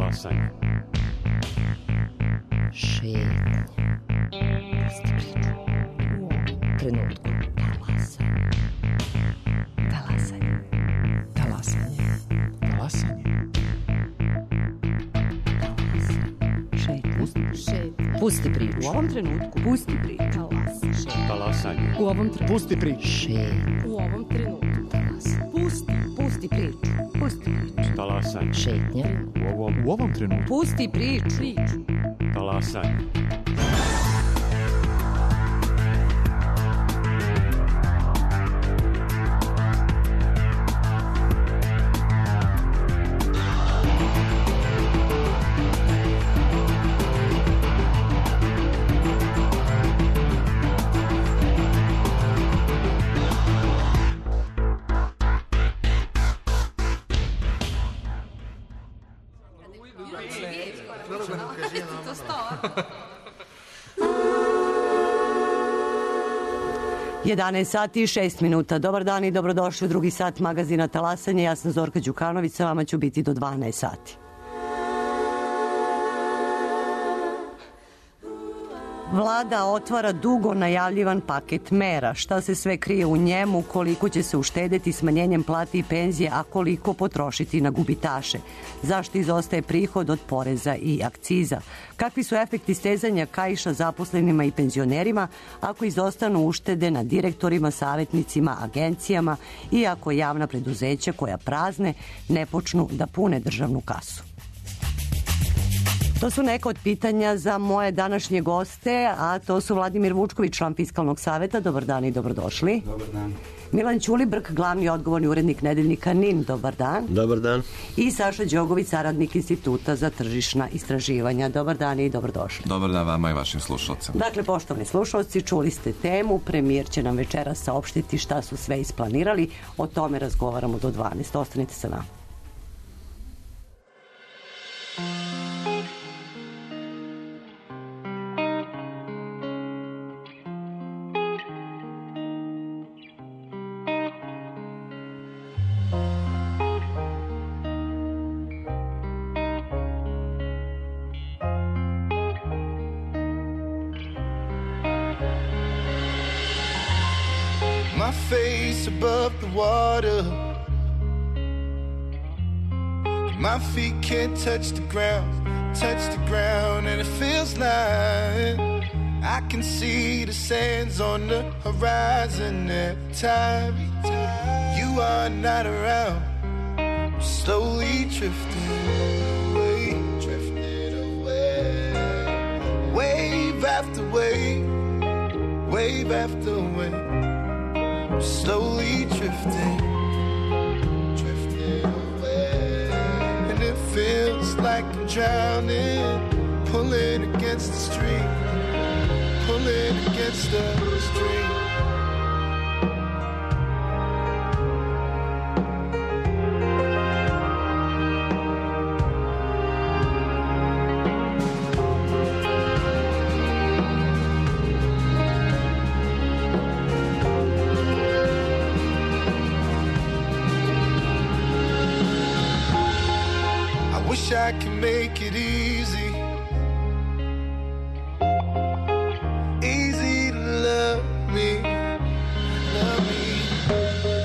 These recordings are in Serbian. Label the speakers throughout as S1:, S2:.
S1: Talasanje.
S2: Šetnje. Pusti priču. U ovom trenutku. Talasanje. Talasanje.
S3: Talasanje. Talasanje.
S2: Pusti priču.
S4: U ovom trenutku.
S2: Pusti priču.
S1: Talasanje.
S4: U ovom trenutku.
S3: Pusti priču.
S2: Šetnje.
S4: U ovom trenutku.
S2: Pusti priču. Pusti priču.
S1: Talasanje.
S2: Šetnje.
S3: U ovom trenutku.
S2: Pusti priču.
S1: Talasanje.
S2: Jedanaest sati i 6 minuta. Dobar dan i dobrodošli u drugi sat magazina Talasanje. Ja sam Zorka Đukanović, sa vama ću biti do 12 sati. Vlada otvara dugo najavljivan paket mera. Šta se sve krije u njemu, koliko će se uštedeti smanjenjem plati i penzije, a koliko potrošiti na gubitaše? Zašto izostaje prihod od poreza i akciza? Kakvi su efekti stezanja kaiša zaposlenima i penzionerima ako izostanu uštede na direktorima, savjetnicima, agencijama i ako javna preduzeća koja prazne ne počnu da pune državnu kasu? To su neka od pitanja za moje današnje goste, a to su Vladimir Vučković, član Fiskalnog saveta. Dobar dan i dobrodošli.
S5: Dobar dan.
S2: Milan Ćulibrk, glavni odgovorni urednik nedeljnika NIN. Dobar dan.
S5: Dobar dan.
S2: I Saša Đogović, saradnik Instituta za tržišna istraživanja. Dobar dan i dobrodošli.
S6: Dobar dan vama i vašim slušalcima.
S2: Dakle, poštovani slušalci, čuli ste temu. Premijer će nam večeras saopštiti šta su sve isplanirali. O tome razgovaramo do 12. Ostanite sa nama.
S7: My face above the water, my feet can't touch the ground, and it feels like I can see the sands on the horizon every time you are not around. I'm slowly drifting away, wave after wave, wave after wave. I'm slowly drifting away, and it feels like I'm drowning, pulling against the stream, pulling against the stream. I can make it easy, easy to love me,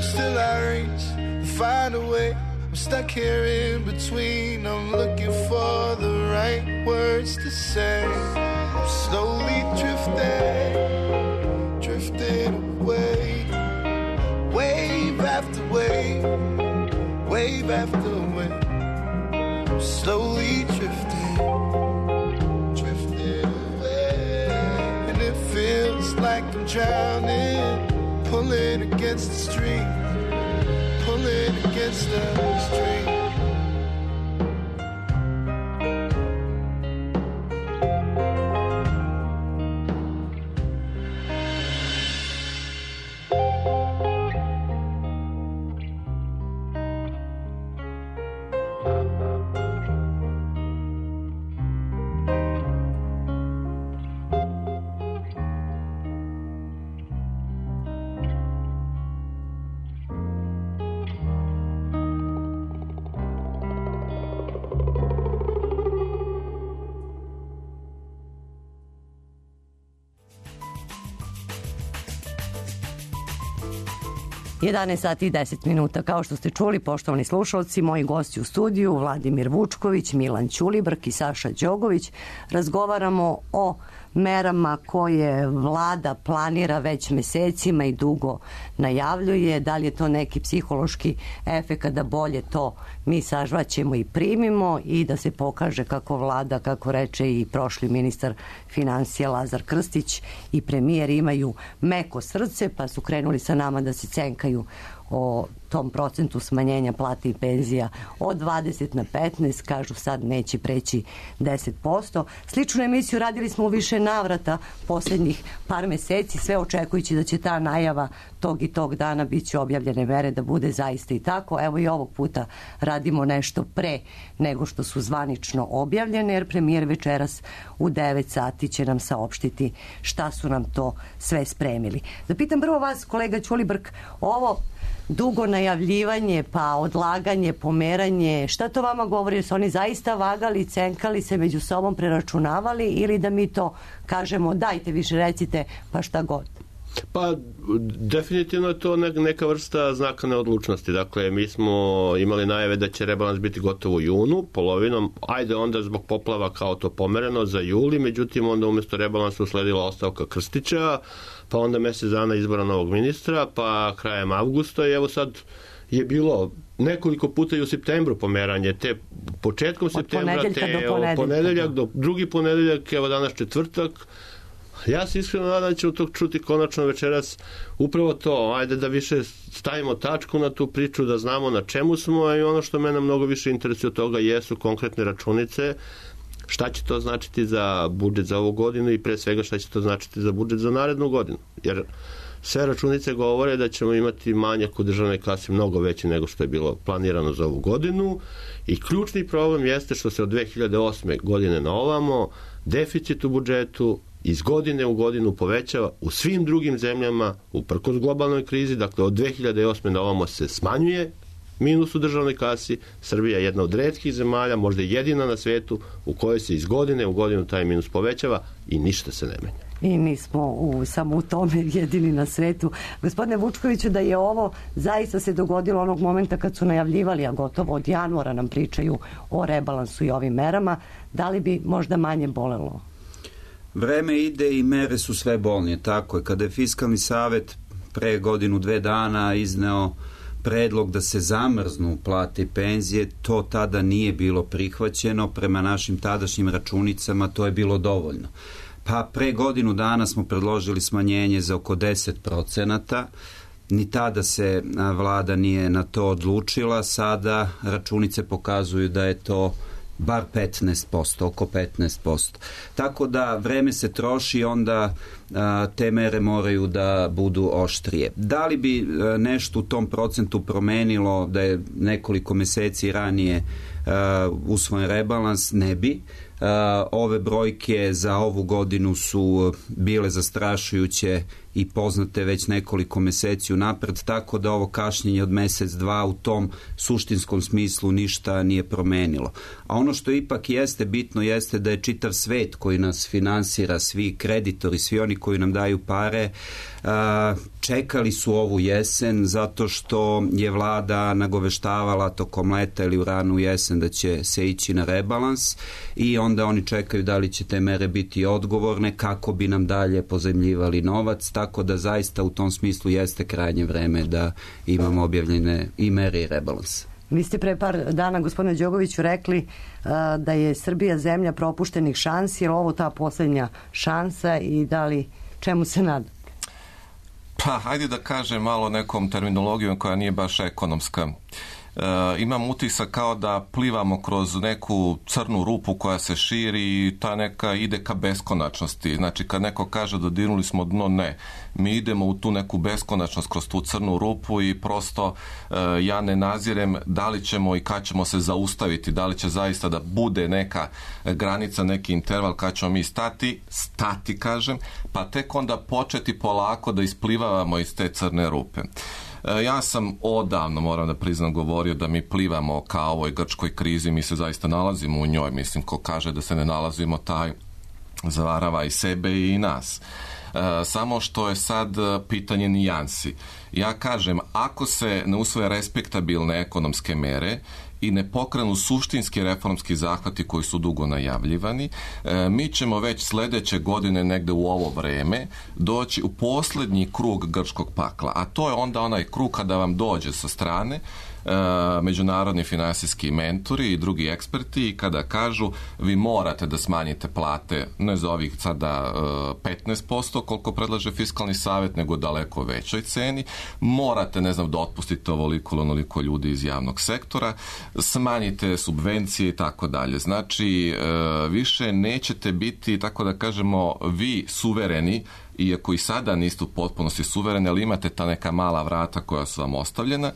S7: still I reach and find a way. I'm stuck here in between, I'm looking for the right words to say. I'm slowly drifting away, wave after wave, wave after wave. Slowly drifting away, and it feels like I'm drowning, pulling against the stream, pulling against the stream.
S2: 11 sati i 10 minuta. Kao što ste čuli, poštovani slušalci, moji gosti u studiju, Vladimir Vučković, Milan Ćulibrk i Saša Đogović, razgovaramo o merama koje vlada planira već mesecima i dugo najavljuje. Da li je to neki psihološki efekat da bolje to mi sažvaćemo i primimo i da se pokaže kako vlada, kako reče i prošli ministar financija Lazar Krstić i premijer imaju meko srce, pa su krenuli sa nama da se cenkaju o tom procentu smanjenja plata i penzija od 20 na 15, kažu sad neće preći 10%. Sličnu emisiju radili smo u više navrata poslednjih par meseci, sve očekujući da će ta najava tog i tog dana biće objavljene mere da bude zaista i tako. Evo i ovog puta radimo nešto pre nego što su zvanično objavljene, jer premijer večeras u 9 sati će nam saopštiti šta su nam to sve spremili. Da pitam prvo vas, kolega Ćulibrk, ovo dugo najavljivanje, pa odlaganje, pomeranje, šta to vama govori? Su oni zaista vagali, cenkali se, među sobom preračunavali ili da mi to kažemo dajte više recite pa šta god?
S5: Pa definitivno je to neka vrsta znaka neodlučnosti. Dakle, mi smo imali najave da će rebalans biti gotovo u junu, polovinom, ajde onda zbog poplava kao to pomereno za juli, međutim onda umjesto rebalansa usledila ostavka Krstića, pa onda mjesec dana izbora novog ministra, pa krajem avgusta i evo sad je bilo nekoliko puta i u septembru pomeranje, te početkom septembra, te ponedeljak do drugi ponedeljak, evo danas četvrtak. Ja se iskreno nadam da ćemo to čuti konačno večeras upravo to, ajde da više stavimo tačku na tu priču, da znamo na čemu smo i ono što mene mnogo više interesuje od toga jesu konkretne računice, šta će to značiti za budžet za ovu godinu i pre svega šta će to značiti za budžet za narednu godinu. Jer sve računice govore da ćemo imati manjak u državnoj kasi mnogo veći nego što je bilo planirano za ovu godinu i ključni problem jeste što se od 2008. godine na ovamo deficit u budžetu iz godine u godinu povećava u svim drugim zemljama uprkos globalnoj krizi, dakle od 2008. na ovamo se smanjuje minus u državnoj kasi. Srbija je jedna od retkih zemalja, možda jedina na svetu u kojoj se iz godine u godinu taj minus povećava i ništa se ne menja.
S2: I nismo samo u tome jedini na svetu. Gospodine Vučkoviću, da je ovo zaista se dogodilo onog momenta kad su najavljivali, a gotovo od januara nam pričaju o rebalansu i ovim merama, da li bi možda manje bolelo?
S8: Vreme ide i mere su sve bolnije, tako je. Kada je Fiskalni savet pre godinu, 2 dana izneo predlog da se zamrznu plate i penzije, to tada nije bilo prihvaćeno, prema našim tadašnjim računicama to je bilo dovoljno. Pa pre godinu dana smo predložili smanjenje za oko 10%, ni tada se vlada nije na to odlučila, sada računice pokazuju da je to bar 15%, oko 15%. Tako da vreme se troši, onda te mere moraju da budu oštrije. Da li bi nešto u tom procentu promenilo da je nekoliko meseci ranije usvojen rebalans? Ne bi. Ove brojke za ovu godinu su bile zastrašujuće i poznate već nekoliko meseci unapred, tako da ovo kašnjenje od mesec, dva u tom suštinskom smislu ništa nije promenilo. A ono što ipak jeste bitno jeste da je čitav svet koji nas finansira, svi kreditori, svi oni koji nam daju pare, čekali su ovu jesen zato što je vlada nagoveštavala tokom leta ili u ranu jesen da će se ići na rebalans i onda oni čekaju da li će te mere biti odgovorne, kako bi nam dalje pozajmljivali novac, tako da zaista u tom smislu jeste krajnje vreme da imamo objavljene i mere i rebalans.
S2: Vi ste pre par dana, gospodine Đogoviću, rekli da je Srbija zemlja propuštenih šansi, je ovo ta poslednja šansa i da li čemu se nada?
S6: Pa, hajde da kažem malo nekom terminologijom koja nije baš ekonomska. Imam utisak kao da plivamo kroz neku crnu rupu koja se širi i ta neka ide ka beskonačnosti. Znači, kad neko kaže da dirnuli smo dno, ne. Mi idemo u tu neku beskonačnost kroz tu crnu rupu i prosto ja ne nazirem da li ćemo i kad ćemo se zaustaviti, da li će zaista da bude neka granica, neki interval kad ćemo mi stati kažem, pa tek onda početi polako da isplivavamo iz te crne rupe. Ja sam odavno, moram da priznam, govorio da mi plivamo ka ovoj grčkoj krizi, mi se zaista nalazimo u njoj, mislim, ko kaže da se ne nalazimo, taj zavarava i sebe i nas. Samo što je sad pitanje nijansi. Ja kažem, ako se ne usvoje respektabilne ekonomske mere i ne pokrenu suštinski reformski zahvati koji su dugo najavljivani, mi ćemo već sledeće godine negde u ovo vreme doći u poslednji krug grčkog pakla, a to je onda onaj krug kada vam dođe sa strane međunarodni finansijski mentori i drugi eksperti i kada kažu vi morate da smanjite plate ne za ovih sada 15% koliko predlaže fiskalni savet, nego daleko većoj ceni, morate da otpustite ovoliko ili onoliko ljudi iz javnog sektora, smanjite subvencije i tako dalje. Znači više nećete biti, tako da kažemo, vi suvereni, iako i sada niste u potpunosti suvereni, ali imate ta neka mala vrata koja su vam ostavljena,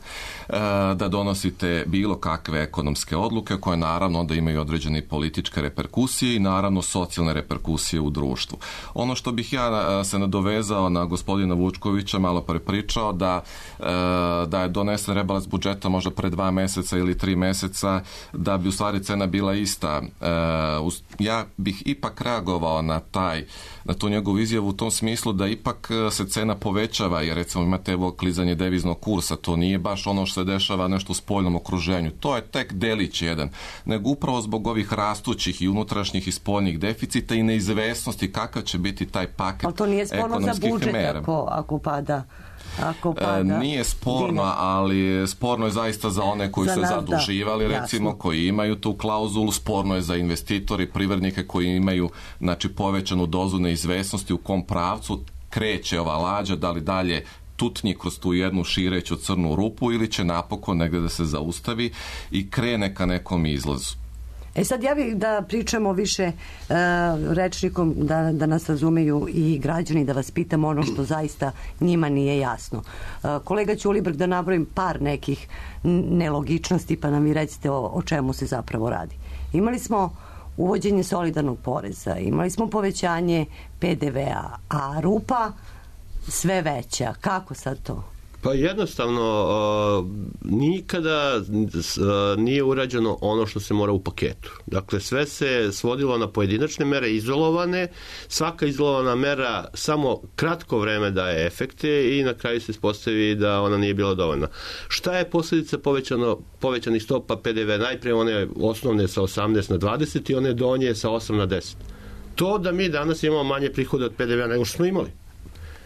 S6: da donosite bilo kakve ekonomske odluke koje naravno onda imaju određene političke reperkusije i naravno socijalne reperkusije u društvu. Ono što bih ja se nadovezao na gospodina Vučkovića, malo pre pričao da je donesen rebalans budžeta možda pre 2 meseca ili 3 meseca, da bi u stvari cena bila ista. Ja bih ipak reagovao na tu njegovu izjavu u tom smislu da ipak se cena povećava, jer recimo imate evo klizanje deviznog kursa, to nije baš ono što se dešava nešto u spoljnom okruženju, to je tek delić jedan, nego upravo zbog ovih rastućih i unutrašnjih i spoljnih deficita i neizvesnosti kakav će biti taj paket ekonomskih mera.
S2: Ali to nije sporno za budžet ako pada?
S6: Nije sporno, ali sporno je zaista za one koji su zaduživali, recimo, koji imaju tu klauzulu, sporno je za investitori, privrednike koji imaju povećanu dozu neizvesnosti u kom pravcu kreće ova lađa, da li dalje tutnji kroz tu jednu šireću crnu rupu ili će napokon negde da se zaustavi i krene ka nekom izlazu.
S2: Sad ja bih da pričamo više rečnikom, da nas razumeju i građani, da vas pitam ono što zaista njima nije jasno. Kolega Ćulibrk, da nabrojim par nekih nelogičnosti, pa nam vi recite o čemu se zapravo radi. Imali smo uvođenje solidarnog poreza, imali smo povećanje PDV-a, a rupa sve veća. Kako sad to?
S5: Pa jednostavno, nikada nije urađeno ono što se mora u paketu. Dakle, sve se svodilo na pojedinačne mere, izolovane. Svaka izolovana mera samo kratko vreme daje efekte i na kraju se ispostavi da ona nije bila dovoljna. Šta je posljedica povećanih stopa PDV? Najprije one osnovne sa 18 na 20 i one donje sa 8 na 10. To da mi danas imamo manje prihode od PDV-a nego što smo imali.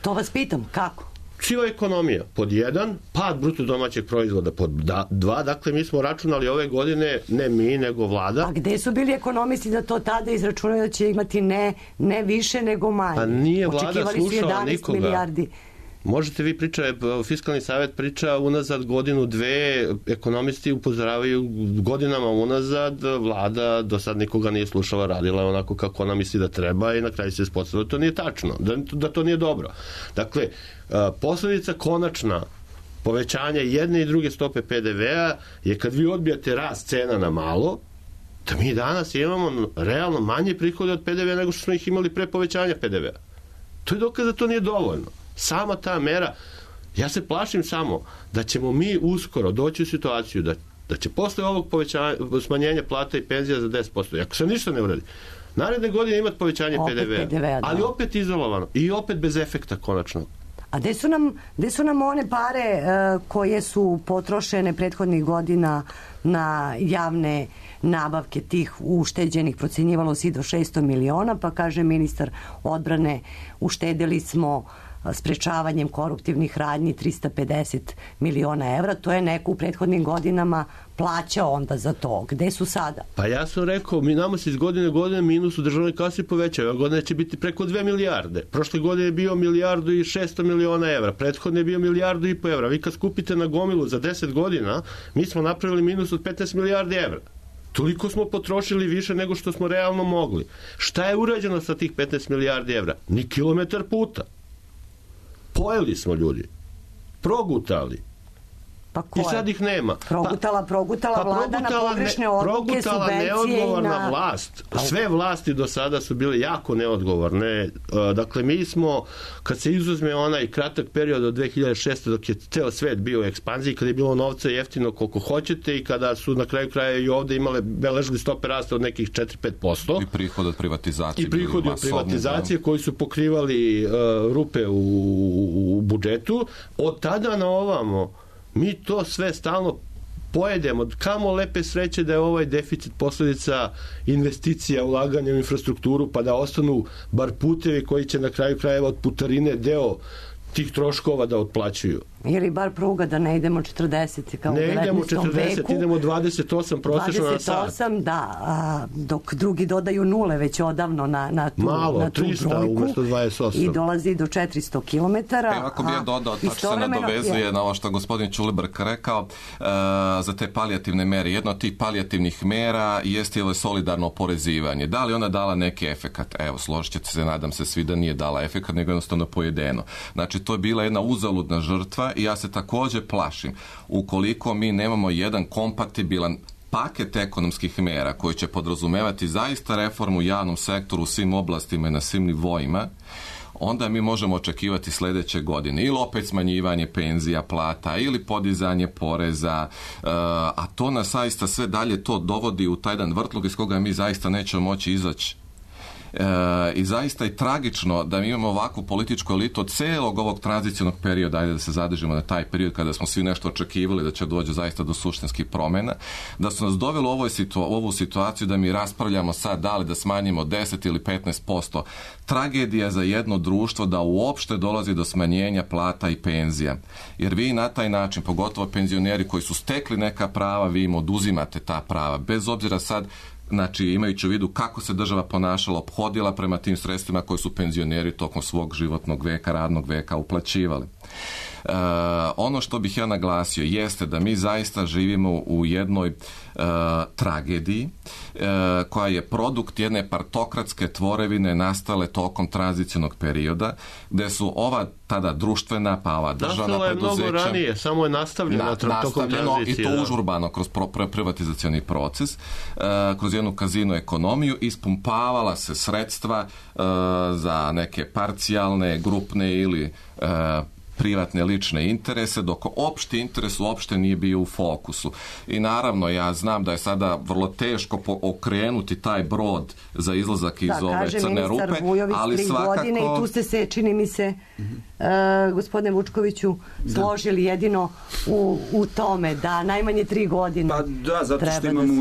S2: To vas pitam, kako?
S5: Siva ekonomija, pod 1, pad bruto domaćeg proizvoda, pod 2, dakle mi smo računali ove godine, ne mi, nego vlada.
S2: A gde su bili ekonomisti da to tada izračunaju da će imati ne više nego manje?
S5: Pa nije vlada slušala nikoga.
S2: Milijardi.
S5: Možete vi pričati, fiskalni savet priča unazad godinu, dve, ekonomisti upozoravaju godinama unazad, vlada do sad nikoga nije slušala, radila onako kako ona misli da treba i na kraju se ispostavilo da to nije tačno, da to nije dobro. Dakle, posljedica konačna povećanja jedne i druge stope PDV-a je kad vi odbijate rast cena na malo, da mi danas imamo realno manje prihode od PDV-a nego što smo ih imali pre povećanja PDV-a. To je dokaz da to nije dovoljno. Sama ta mera, ja se plašim samo da ćemo mi uskoro doći u situaciju da će posle ovog smanjenja plata i penzija za 10%, ako se ništa ne uradi, naredne godine imati povećanje PDV-a, ali opet izolovano i opet bez efekta konačno.
S2: A gde su nam one pare koje su potrošene prethodnih godina na javne nabavke tih ušteđenih, procenjivalo se i do 600 miliona, pa kaže ministar odbrane, uštedili smo sprečavanjem koruptivnih radnji 350 miliona evra, to je neko u prethodnim godinama plaćao onda za to. Gde su sada? Pa
S5: ja sam rekao, nama se iz godine minus u državnoj kasi povećava. Ove godine će biti preko 2 milijarde. Prošle godine je bio 1.600 miliona evra. Prethodne je bio 1,5 milijardu evra. Vi kad skupite na gomilu za 10 godina, mi smo napravili minus od 15 milijardi evra. Toliko smo potrošili više nego što smo realno mogli. Šta je urađeno sa tih 15 milijardi evra? Ni kilometar puta. Pojeli smo ljudi. Progutali.
S2: Pa
S5: i sad ih nema.
S2: Progutala vlada na pogrešne odluke, subvencije
S5: neodgovorna vlast. Sve vlasti do sada su bile jako neodgovorne. Dakle, mi smo, kad se izuzme onaj kratak period od 2006. dok je ceo svet bio u ekspanziji, kada je bilo novca jeftino koliko hoćete i kada su na kraju kraja i ovde beležili stope rasta od nekih 4-5%.
S6: I prihod od privatizacije.
S5: I prihodi od privatizacije koji su pokrivali rupe u budžetu. Od tada na ovamo mi to sve stalno pojedemo. Kamo lepe sreće da je ovaj deficit posledica investicija, ulaganja u infrastrukturu, pa da ostanu bar putevi koji će na kraju krajeva od putarine deo tih troškova da otplaćuju.
S2: Ili bar pruga da ne idemo 40 kao u 19. veku.
S5: Ne idemo 40, idemo 28 prosječno na sat.
S2: 28, da, dok drugi dodaju nule već odavno na tu,
S5: malo,
S2: na tu
S5: 300
S2: brojku.
S5: Umesto 28.
S2: I dolazi do 400 km.
S6: Ako bi ja dodao, tačno se nadovezuje na ovo što gospodin Ćulibrk rekao za te palijativne mere. Jedna od tih palijativnih mera jeste ili solidarno oporezivanje. Da li ona dala neki efekat? Evo, složit ćete se, nadam se svi da nije dala efekat, nego jednostavno pojedeno. Znači, to je bila jedna uzaludna žrtva i ja se također plašim, ukoliko mi nemamo jedan kompatibilan paket ekonomskih mera koji će podrazumevati zaista reformu u javnom sektoru u svim oblastima i na svim nivoima, onda mi možemo očekivati sljedeće godine ili opet smanjivanje penzija, plata ili podizanje poreza, a to nas zaista sve dalje to dovodi u taj jedan vrtlog iz koga mi zaista nećemo moći izaći. I zaista je tragično da mi imamo ovakvu političku elitu od celog ovog tranzicionog perioda, ajde da se zadržimo na taj period kada smo svi nešto očekivali da će doći zaista do suštinskih promjena, da su nas doveli u ovu situaciju da mi raspravljamo sad da li da smanjimo 10 ili 15%. Tragedija za jedno društvo da uopšte dolazi do smanjenja plata i penzija. Jer vi na taj način, pogotovo penzioneri koji su stekli neka prava, vi im oduzimate ta prava. Bez obzira sad, znači imajući u vidu kako se država ponašala, ophodila prema tim sredstvima koji su penzioneri tokom svog životnog veka, radnog veka uplaćivali. Ono što bih ja naglasio jeste da mi zaista živimo u jednoj tragediji koja je produkt jedne partokratske tvorevine nastale tokom tranzicionog perioda, gde su ova tada društvena pa ova državna preduzeća
S5: nastalo je mnogo ranije, samo je nastavljeno tokom tranzicije.
S6: I to užurbano kroz privatizacioni proces, kroz jednu kazino ekonomiju, ispumpavala se sredstva za neke parcijalne, grupne ili privatne lične interese, dok opšti interes uopšte nije bio u fokusu. I naravno, ja znam da je sada vrlo teško okrenuti taj brod za izlazak iz ove crne rupe,
S2: Vujović,
S6: ali svakako...
S2: godine i tu ste se, čini mi se, gospodine Vučkoviću, složili jedino u tome da najmanje 3 godine.
S8: Pa da, zato što imamo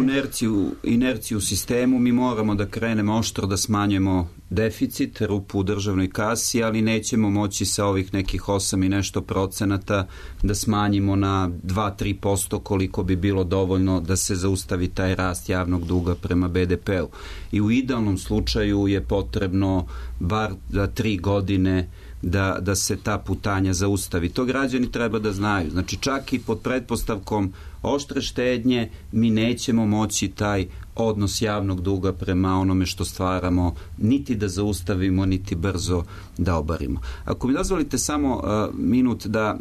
S8: inerciju u sistemu, mi moramo da krenemo oštro da smanjujemo deficit, rupu u državnoj kasi, ali nećemo moći sa ovih nekih 8 i nešto procenata da smanjimo na 2-3% koliko bi bilo dovoljno da se zaustavi taj rast javnog duga prema BDP-u. I u idealnom slučaju je potrebno bar 3 godine da se ta putanja zaustavi. To građani treba da znaju. Znači čak i pod pretpostavkom oštre štednje mi nećemo moći taj odnos javnog duga prema onome što stvaramo niti da zaustavimo, niti brzo da obarimo. Ako mi dozvolite samo minut da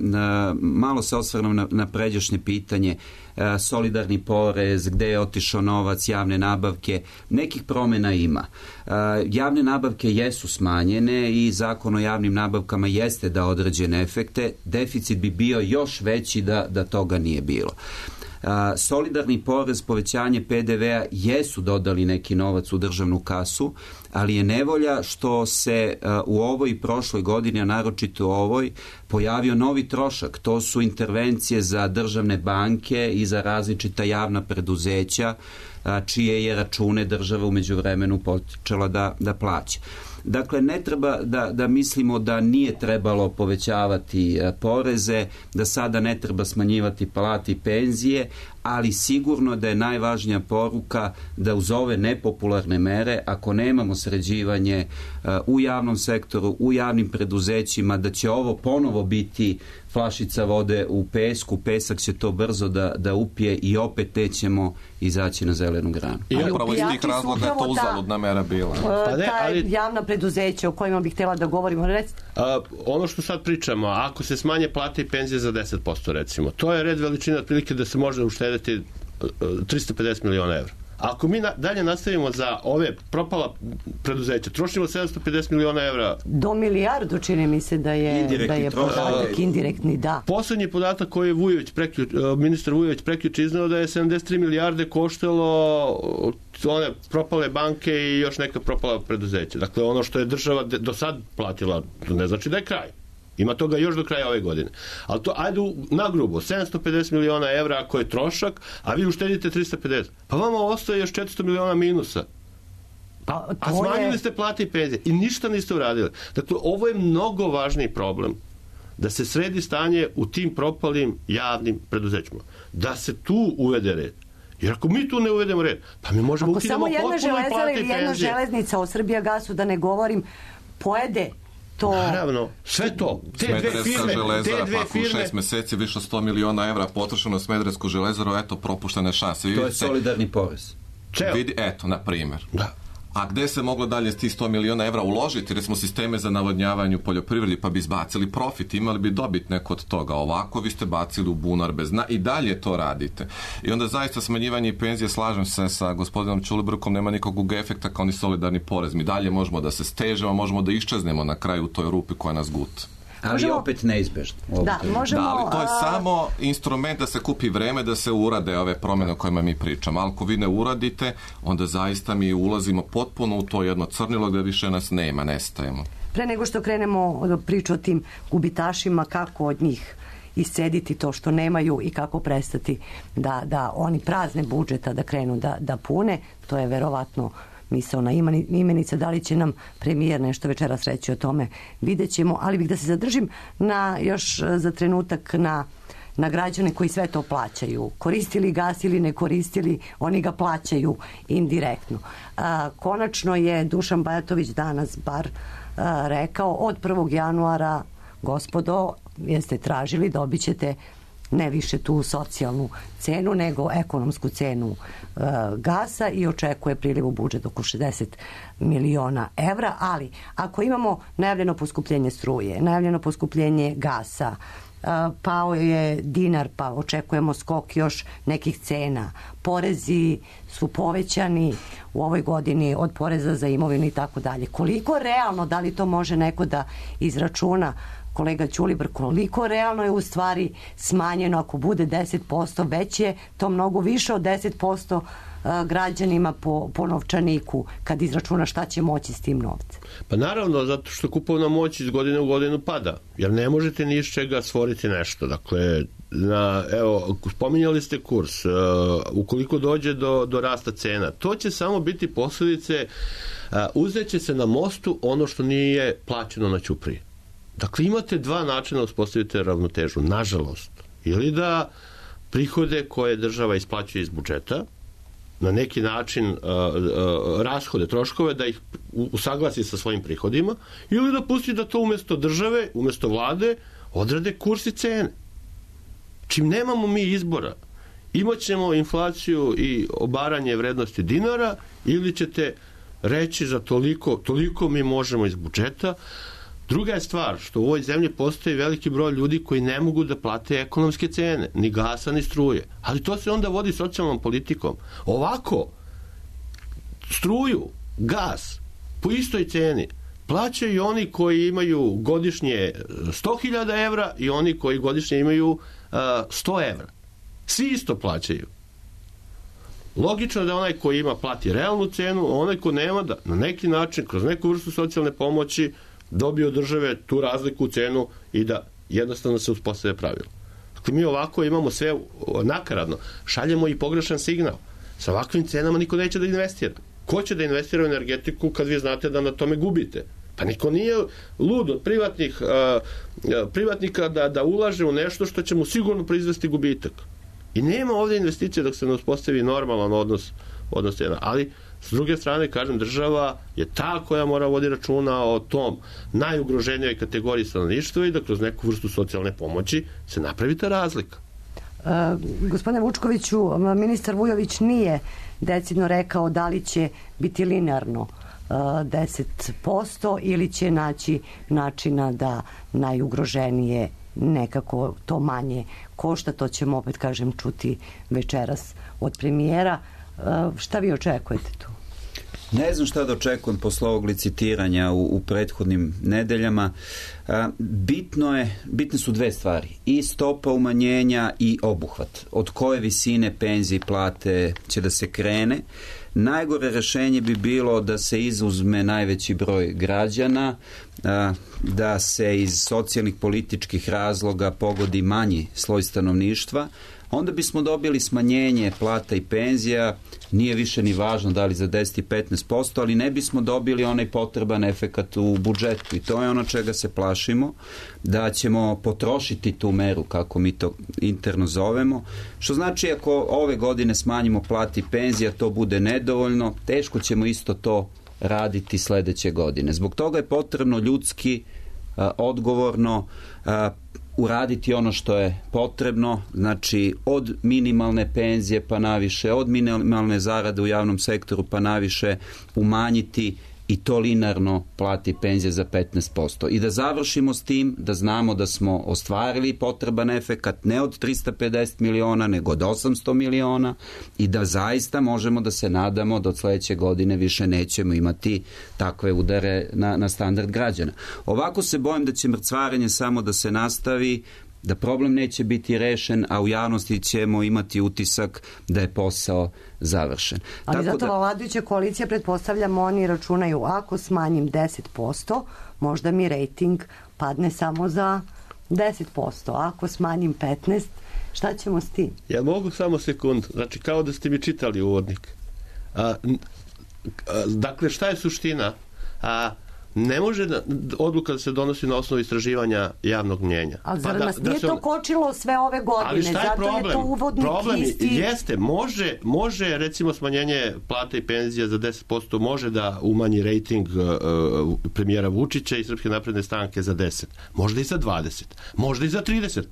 S8: malo se osvrnem na pređašnje pitanje, solidarni porez, gde je otišao novac, javne nabavke, nekih promjena ima. Javne nabavke jesu smanjene i zakon o javnim nabavkama jeste da određene efekte, deficit bi bio još veći da toga nije bilo. Solidarni porez, povećanje PDV-a jesu dodali neki novac u državnu kasu, ali je nevolja što se u ovoj i prošloj godini, a naročito u ovoj, pojavio novi trošak. To su intervencije za državne banke i za različita javna preduzeća čije je račune država u međuvremenu počela da plaća. Dakle, ne treba da mislimo da nije trebalo povećavati poreze, da sada ne treba smanjivati plate i penzije, ali sigurno da je najvažnija poruka da uz ove nepopularne mere, ako nemamo sređivanje u javnom sektoru, u javnim preduzećima, da će ovo ponovo biti flašica vode u pesku, pesak će to brzo da upije i opet ćemo izaći na zelenu granu.
S6: I upravo iz tih razloga je to uzaludna mera bila.
S2: Javna preduzeća o kojima bih htjela da govorimo.
S5: Ono što sad pričamo, ako se smanje plate i penzije za 10%, recimo, to je red veličine otprilike da se može uštediti 350 miliona evra. Ako mi dalje nastavimo za ove propala preduzeća, trošimo 750 miliona evra.
S2: Do milijardu čini mi se da je podatak indirektni, da.
S5: Poslednji podatak koji je ministar Vujović prekjuče izneo da je 73 milijarde koštalo one propale banke i još neka propala preduzeća. Dakle, ono što je država do sad platila, to ne znači da je kraj. Ima toga još do kraja ove godine. Ali to, ajde na grubo, 750 miliona evra ako je trošak, a vi uštedite 350. Pa vama ostaje još 400 miliona minusa. A smanjili ste plate i penzije i ništa niste uradili. Dakle, ovo je mnogo važniji problem. Da se sredi stanje u tim propalim javnim preduzećima. Da se tu uvede red. Jer ako mi tu ne uvedemo red, pa mi možemo ukinemo potpuno i plate i penzije. Ako samo jedna železara ili jedna železnica,
S2: o Srbijagasu da ne govorim, pojede to.
S5: Naravno, sve to.
S6: Smederevska železara, pa u 6 meseci više 100 miliona evra potrošeno Smederevsku železaru, eto, propuštene šanse.
S8: To je solidarni porez.
S6: Eto, na primjer.
S5: Da.
S6: A gde se moglo dalje s tih 100 miliona evra uložiti, recimo sisteme za navodnjavanje u poljoprivredi, pa bi izbacili profit, imali bi dobit neko od toga. Ovako vi ste bacili u bunar bez dna i dalje to radite. I onda zaista smanjivanje penzije, slažem se sa gospodinom Ćulibrkom, nema nikakvog efekta kao ni solidarni porez. Mi dalje možemo da se stežemo, možemo da iščeznemo na kraju u toj rupi koja nas guta.
S8: Ali opet neizbežno.
S2: Da,
S6: ali to je samo instrument da se kupi vreme da se urade ove promjene o kojima mi pričamo. Ali ako vi ne uradite, onda zaista mi ulazimo potpuno u to jedno crnilo gdje više nas nema, nestajemo.
S2: Pre nego što krenemo priču o tim gubitašima, kako od njih iscediti to što nemaju i kako prestati da oni prazne budžeta da krenu da pune, to je verovatno misaona imenica. Da li će nam premijer nešto večeras reći o tome, vidjet ćemo, ali bih da se zadržim još za trenutak na građane koji sve to plaćaju. Koristili gas ili ne koristili, oni ga plaćaju indirektno. Konačno je Dušan Bajatović danas bar rekao, od 1. januara, gospodo, jeste tražili, dobit ćete ne više tu socijalnu cenu, nego ekonomsku cenu gasa i očekuje priliv u budžet oko 60 miliona evra, ali ako imamo najavljeno poskupljenje struje, najavljeno poskupljenje gasa, pao je dinar, pa očekujemo skok još nekih cena, porezi su povećani u ovoj godini od poreza za imovinu i tako dalje. Koliko realno, da li to može neko da izračuna, kolega Ćulibr, koliko realno je u stvari smanjeno ako bude 10%, već je to mnogo više od 10% građanima po novčaniku kad izračuna šta će moći s tim novcem?
S5: Pa naravno, zato što kupovna moć iz godine u godinu pada, jer ne možete ni iz čega stvoriti nešto. Dakle, evo, spominjali ste kurs, ukoliko dođe do rasta cena, to će samo biti posljedice, uzet će se na mostu ono što nije plaćeno na ćupriji. Dakle, imate dva načina da uspostavite ravnotežu, nažalost. Ili da prihode koje država isplaćuje iz budžeta, na neki način rashode, troškove, da ih usaglasi sa svojim prihodima, ili da pusti da to umjesto države, umjesto vlade, odrade kurs i cene. Čim nemamo mi izbora, imat ćemo inflaciju i obaranje vrednosti dinara, ili ćete reći za toliko mi možemo iz budžeta. Druga je stvar što u ovoj zemlji postoji veliki broj ljudi koji ne mogu da plate ekonomske cene, ni gasa, ni struje. Ali to se onda vodi socijalnom politikom. Ovako, struju, gas, po istoj ceni, plaćaju oni koji imaju godišnje 100.000 evra i oni koji godišnje imaju 100 evra. Svi isto plaćaju. Logično da onaj koji ima plati realnu cenu, a onaj ko nema da na neki način, kroz neku vrstu socijalne pomoći, dobije od države tu razliku u cenu i da jednostavno se uspostave pravilo. Dakle, mi ovako imamo sve nakaradno. Šaljemo i pogrešan signal. Sa ovakvim cenama niko neće da investira. Ko će da investira u energetiku kad vi znate da na tome gubite? Pa niko nije lud od privatnika da ulaže u nešto što će mu sigurno proizvesti gubitak. I nema ovdje investicije dok se ne uspostavi normalan odnos cena. Ali S druge strane, kažem, država je ta koja mora vodi računa o tom najugroženijoj kategoriji stanovništva i da kroz neku vrstu socijalne pomoći se napravi ta razlika.
S2: Gospodine Vučkoviću, ministar Vujović nije decidno rekao da li će biti linearno 10% ili će naći načina da najugroženije nekako to manje košta. To ćemo opet, kažem, čuti večeras od premijera. Šta vi očekujete tu?
S8: Ne znam šta da očekujem posle ovog licitiranja u prethodnim nedeljama. Bitne su dve stvari. I stopa umanjenja i obuhvat. Od koje visine penzije i plate će da se krene. Najgore rešenje bi bilo da se izuzme najveći broj građana, da se iz socijalnih političkih razloga pogodi manji sloj stanovništva. Onda bismo dobili smanjenje plata i penzija, nije više ni važno da li za 10 i 15%, ali ne bismo dobili onaj potreban efekat u budžetu i to je ono čega se plašimo, da ćemo potrošiti tu meru, kako mi to interno zovemo, što znači ako ove godine smanjimo plati i penzija, to bude nedovoljno, teško ćemo isto to raditi sledeće godine. Zbog toga je potrebno ljudski, odgovorno, uraditi ono što je potrebno, znači od minimalne penzije pa naviše, od minimalne zarade u javnom sektoru pa naviše umanjiti i to linearno plati penzije za 15%. I da završimo s tim, da znamo da smo ostvarili potreban efekat ne od 350 miliona, nego od 800 miliona i da zaista možemo da se nadamo da od sledeće godine više nećemo imati takve udare na standard građana. Ovako se bojim da će mrcvarenje samo da se nastavi, da problem neće biti rešen, a u javnosti ćemo imati utisak da je posao završen.
S2: Ali zato vladajuća koalicija, pretpostavljamo, oni računaju ako smanjim 10%, možda mi rejting padne samo za 10%. Ako smanjim 15%, šta ćemo s tim?
S5: Ja mogu samo sekundu. Znači, kao da ste mi čitali uvodnik. Dakle, šta je suština? Ne može odluka da se donosi na osnovu istraživanja javnog mnjenja.
S2: Ali zar nas nije to kočilo sve ove godine?
S5: Ali šta je
S2: zato
S5: problem?
S2: Je to uvodnik
S5: problem
S2: isti.
S5: Jeste, može recimo smanjenje plata i penzija za 10% može da umanji rejting premijera Vučića i Srpske napredne stranke za 10%. Možda i za 20%. Možda i za 30%.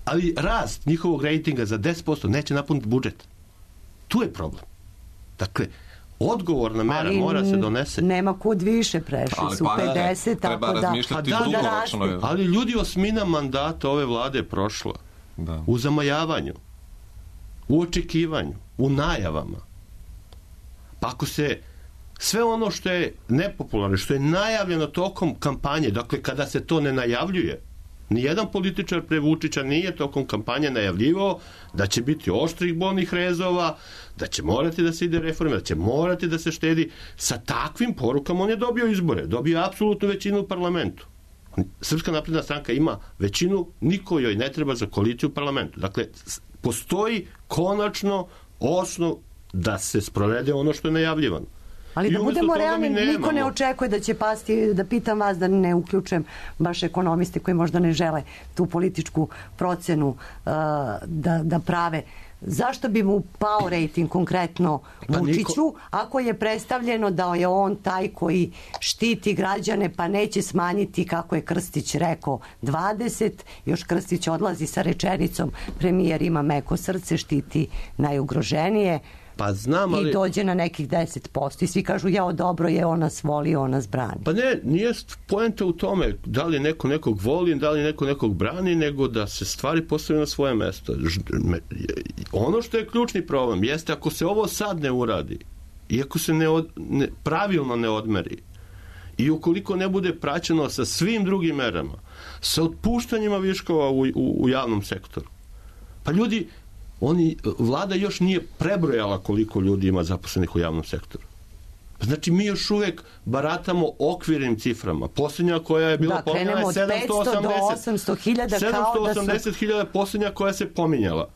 S5: Ali rast njihovog rejtinga za 10% neće napuniti budžet. Tu je problem. Dakle, odgovorna mera mora se donese.
S2: Nema kud više, prešli su 50,
S6: treba
S2: tako
S6: razmišljati dugoročno.
S5: Ali ljudi, 8 mandata ove vlade je prošla. Da. U zamajavanju, u očekivanju, u najavama. Pa ako se sve ono što je nepopularno, što je najavljeno tokom kampanje, dakle kada se to ne najavljuje, nijedan političar pre Vučića nije tokom kampanje najavljivao da će biti oštrih bolnih rezova, da će morati da se ide reforme, da će morati da se štedi. Sa takvim porukama on je dobio izbore, dobio apsolutnu većinu u parlamentu. Srpska napredna stranka ima većinu, niko joj ne treba za koaliciju u parlamentu. Dakle, postoji konačno osnov da se sprovede ono što je najavljivano.
S2: Ali da budemo realni, niko ne očekuje da će pasti, da pitam vas, da ne uključujem baš ekonomiste koji možda ne žele tu političku procenu da prave. Zašto bi mu pao rejting konkretno Vučiću, ako je predstavljeno da je on taj koji štiti građane, pa neće smanjiti, kako je Krstić rekao, 20, još Krstić odlazi sa rečenicom, premijer ima meko srce, štiti najugroženije,
S5: pa znam, ali...
S2: i dođe na nekih 10%. I svi kažu, jao, dobro je, on nas voli, on nas brani.
S5: Pa ne, nije poenta u tome da li neko nekog voli, da li neko nekog brani, nego da se stvari postavljaju na svoje mesto. Ono što je ključni problem jeste ako se ovo sad ne uradi i ako se pravilno ne odmeri i ukoliko ne bude praćeno sa svim drugim merama, sa otpuštanjima viškova u javnom sektoru, pa ljudi, vlada još nije prebrojala koliko ljudi ima zaposlenih u javnom sektoru. Znači, mi još uvek baratamo okvirnim ciframa. Posljednja koja je bila pominjala je 780.000 posljednja koja se pominjala.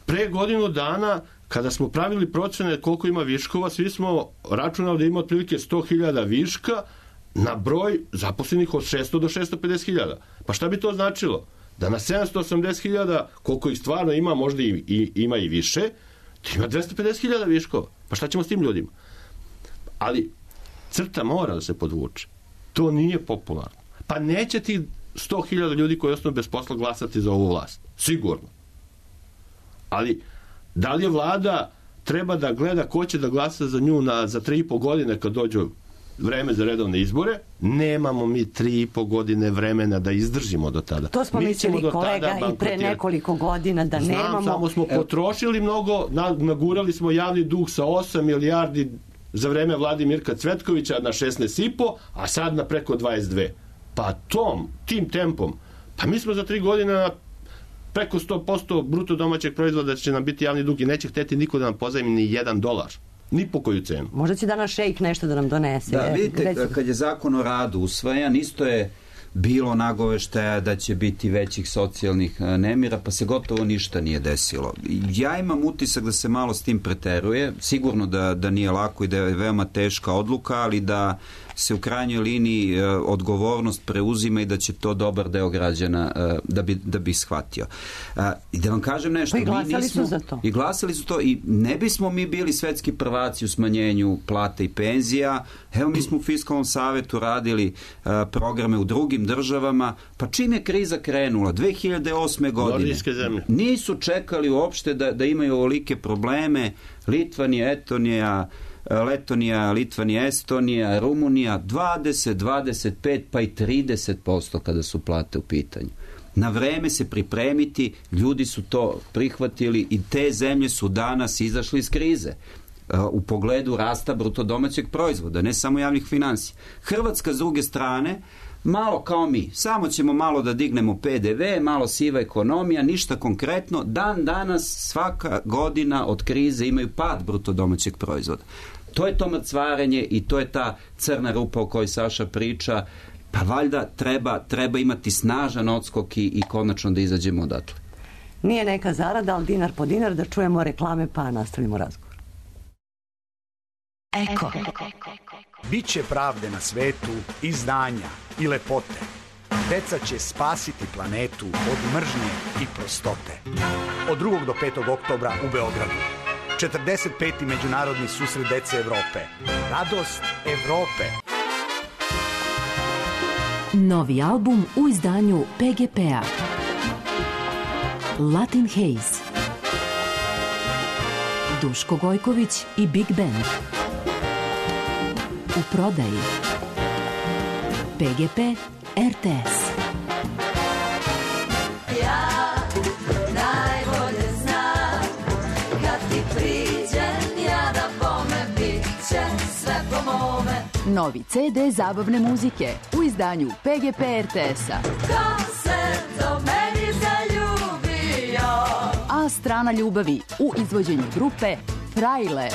S5: Pre godinu dana, kada smo pravili procene koliko ima viškova, svi smo računali da ima otprilike 100.000 viška na broj zaposlenih od 600 do 650.000. Pa šta bi to značilo? Da na 780.000, koliko ih stvarno ima, možda ima i više, ima 250.000 viškova. Pa šta ćemo s tim ljudima? Ali crta mora da se podvuče. To nije popularno. Pa neće ti 100.000 ljudi koji ostanu bez posla glasati za ovu vlast. Sigurno. Ali da li je vlada treba da gleda ko će da glasa za nju za 3,5 godine kad dođu vreme za redovne izbore? Nemamo mi 3,5 godine vremena da izdržimo do tada.
S2: To smo mislili, kolega, i pre nekoliko godina da nemamo.
S5: Samo smo potrošili mnogo, nagurali smo javni dug sa 8 milijardi za vreme vlade Mirka Cvetkovića na 16,5, a sad na preko 22. Pa tim tempom, pa mi smo za 3 godine na preko 100% bruto domaćeg proizvoda će nam biti javni dug i neće hteti niko da nam pozajmi ni $1. Ni po koju cenu.
S2: Možda će danas šejk nešto da nam donese.
S8: Da, vidite, kad je zakon o radu usvajan, isto je bilo nagoveštaja da će biti većih socijalnih nemira, pa se gotovo ništa nije desilo. Ja imam utisak da se malo s tim preteruje, sigurno da nije lako i da je veoma teška odluka, ali da se u krajnjoj liniji odgovornost preuzima i da će to dobar deo građana da bi shvatio. I da vam kažem nešto,
S2: pa i glasali su za to.
S8: I glasali su to i ne bismo mi bili svetski prvaci u smanjenju plata i penzija. Evo, mi smo u Fiskalnom savetu radili programe u drugim državama, pa čim je kriza krenula 2008. godine nisu čekali uopšte da imaju ovolike probleme. Letonija, Litvanija, Estonija, Rumunija 20, 25 pa i 30% kada su plate u pitanju. Na vreme se pripremiti, ljudi su to prihvatili i te zemlje su danas izašli iz krize u pogledu rasta bruto domaćeg proizvoda, ne samo javnih finansija. Hrvatska s druge strane malo kao mi, samo ćemo malo da dignemo PDV, malo siva ekonomija, ništa konkretno. Dan danas svaka godina od krize imaju pad bruto domaćeg proizvoda. To je to mrcvarenje i to je ta crna rupa o kojoj Saša priča. Pa valjda treba imati snažan odskok i konačno da izađemo odatle.
S2: Nije neka zarada, ali dinar po dinar, da čujemo reklame pa nastavimo razgovor. Eko.
S9: Biće pravde na svetu i znanja i lepote. Deca će spasiti planetu od mržnje i prostote. Od 2. do 5. oktobra u Beogradu. 45. Međunarodni susret dece Evrope. Radost Evrope.
S10: Novi album u izdanju PGP-a. Latin Haze. Duško Gojković i Big Band. U prodaji. PGP RTS.
S11: Ja najbolje znam kad ti priđem ja da bome bit će sve po mome.
S10: Novi CD zabavne muzike u izdanju PGP RTS-a.
S11: Ko se do meni zaljubio?
S10: A strana ljubavi u izvođenju grupe Frajle.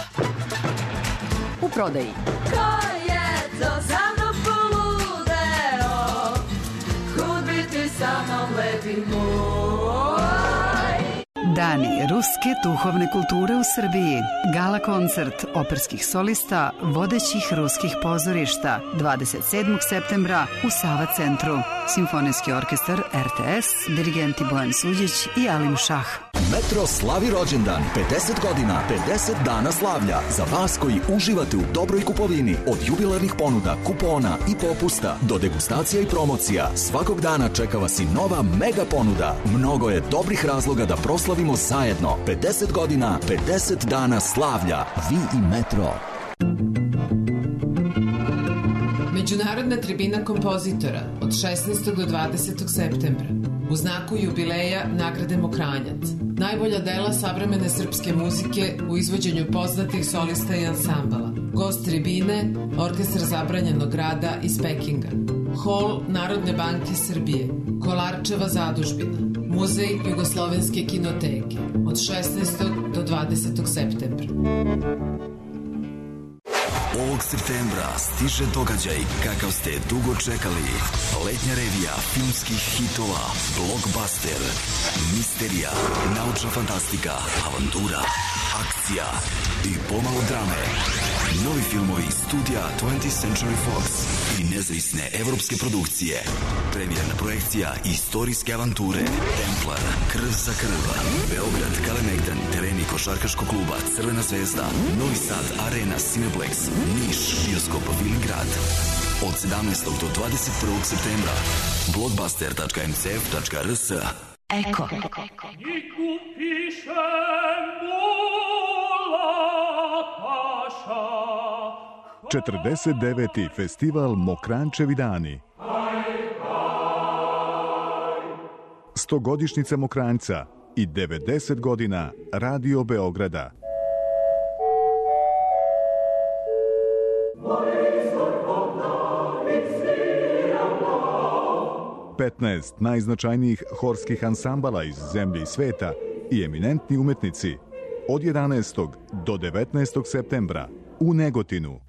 S10: U prodaji.
S11: Ko je to za mnom poludeo? Kud biti sa mnom lepi moj?
S12: Dani ruske duhovne kulture u Srbiji. Gala koncert operskih solista vodećih ruskih pozorišta 27. septembra u Sava centru. Simfonijski orkestar RTS, dirigenti Bojan Suđić i Alim Šah.
S13: Metro slavi rođendan, 50 godina, 50 dana slavlja. Za vas koji uživate u dobroj kupovini, od jubilarnih ponuda, kupona i popusta do degustacija i promocija, svakog dana čeka vas i nova mega ponuda. Mnogo je dobrih razloga da proslavimo zajedno. 50 godina, 50 dana slavlja. Vi i Metro.
S14: Međunarodna tribina kompozitora od 16. do 20. septembra. U znaku jubileja nagrademo Kranjac. Najbolja dela savremene srpske muzike u izvođenju poznatih solista i ansambala. Gost tribine, Orkestar zabranjenog rada iz Pekinga. Hol Narodne banke Srbije. Kolarčeva zadužbina. Muzej Jugoslovenske kinoteke. Od 16. do 20. septembra.
S13: Ovog septembra stiže događaj kakav ste dugo čekali. Letnja revija filmskih hitova, blockbuster, misterija, naučna fantastika, avantura, akcija i pomalo drame. Novi filmovi studija 20th Century Fox i nezavisne evropske produkcije. Premijerna projekcija istorijske avanture Templar, Krv za krv, Beograd, Kalemegdan, tereni košarkaškog kluba Crvena zvezda, Novi Sad, Arena, Cineplex, Niš, bioskop Vilingrad. Od 17. do 21. septembra. blockbuster.mcf.rs.
S2: Eko.
S15: 49. festival Mokrančevi dani. 100-godišnjica Mokranjca i 90 godina Radio Beograda. Petnaest najznačajnijih horskih ansambala iz zemlje i sveta i eminentni umetnici od 11. do 19. septembra u Negotinu.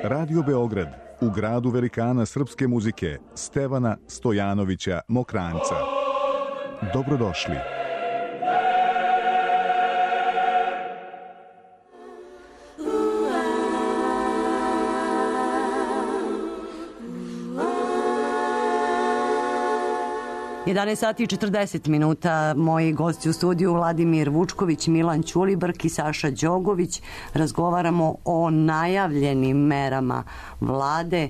S15: Radio Beograd u gradu velikana srpske muzike Stevana Stojanovića Mokranjca. Dobrodošli.
S2: Sati i 40 minuta. Moji gosti u studiju Vladimir Vučković, Milan Ćulibrk i Saša Đogović. Razgovaramo o najavljenim merama vlade,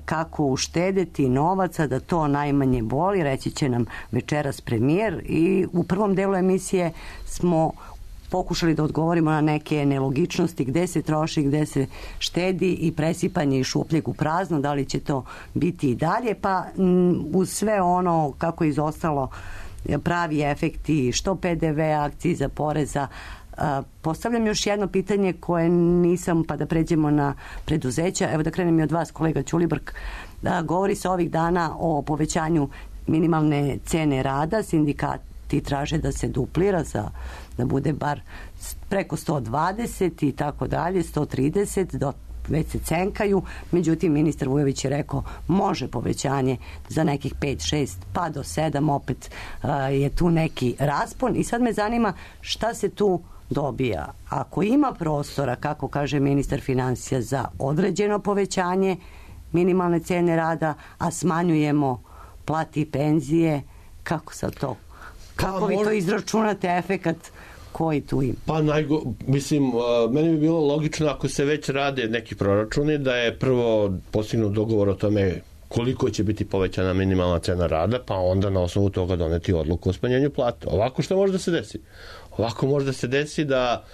S2: kako uštedeti novaca da to najmanje boli, reći će nam večeras premijer. I u prvom delu emisije smo pokušali da odgovorimo na neke nelogičnosti, gde se troši, gde se štedi i presipanje iz šupljeg u prazno, da li će to biti i dalje, pa uz sve ono kako je izostalo pravi efekti, što PDV, akciza, poreza. Postavljam još jedno pitanje koje nisam, pa da pređemo na preduzeća. Evo da krenem i od vas, kolega Ćulibrk. Govori se ovih dana o povećanju minimalne cene rada, sindikati traže da se duplira, da bude bar preko 120 i tako dalje, 130, već se cenkaju. Međutim, ministar Vujović je rekao može povećanje za nekih 5, 6, pa do 7, opet je tu neki raspon. I sad me zanima šta se tu dobija. Ako ima prostora, kako kaže ministar finansija, za određeno povećanje minimalne cene rada, a smanjujemo plati i penzije, kako sad to? Kako vi to izračunate efekat koji tu ima?
S5: Pa mislim, meni bi bilo logično ako se već rade neki proračuni da je prvo postignut dogovor o tome koliko će biti povećana minimalna cena rada, pa onda na osnovu toga doneti odluku o smanjenju plata. Ovako što može da se desi? Ovako može da se desi da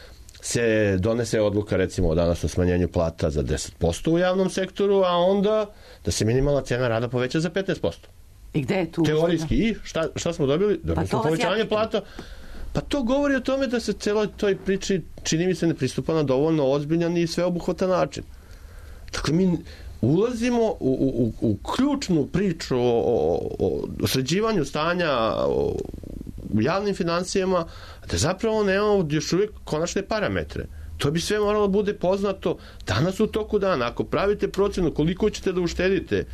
S5: se donese odluka recimo danas o smanjenju plata za 10% u javnom sektoru, a onda da se minimalna cena rada poveća za 15%.
S2: I gde je tu?
S5: Teorijski. I šta smo dobili? Dobili smo povećanje plata. Pa to govori o tome da se celoj toj priči, čini mi se, ne pristupa na dovoljno ozbiljan i sveobuhvatan način. Dakle, mi ulazimo u ključnu priču o sređivanju stanja u javnim finansijama, da zapravo nemamo još uvijek konačne parametre. To bi sve moralo bude poznato danas u toku dana. Ako pravite procenu koliko ćete da uštedite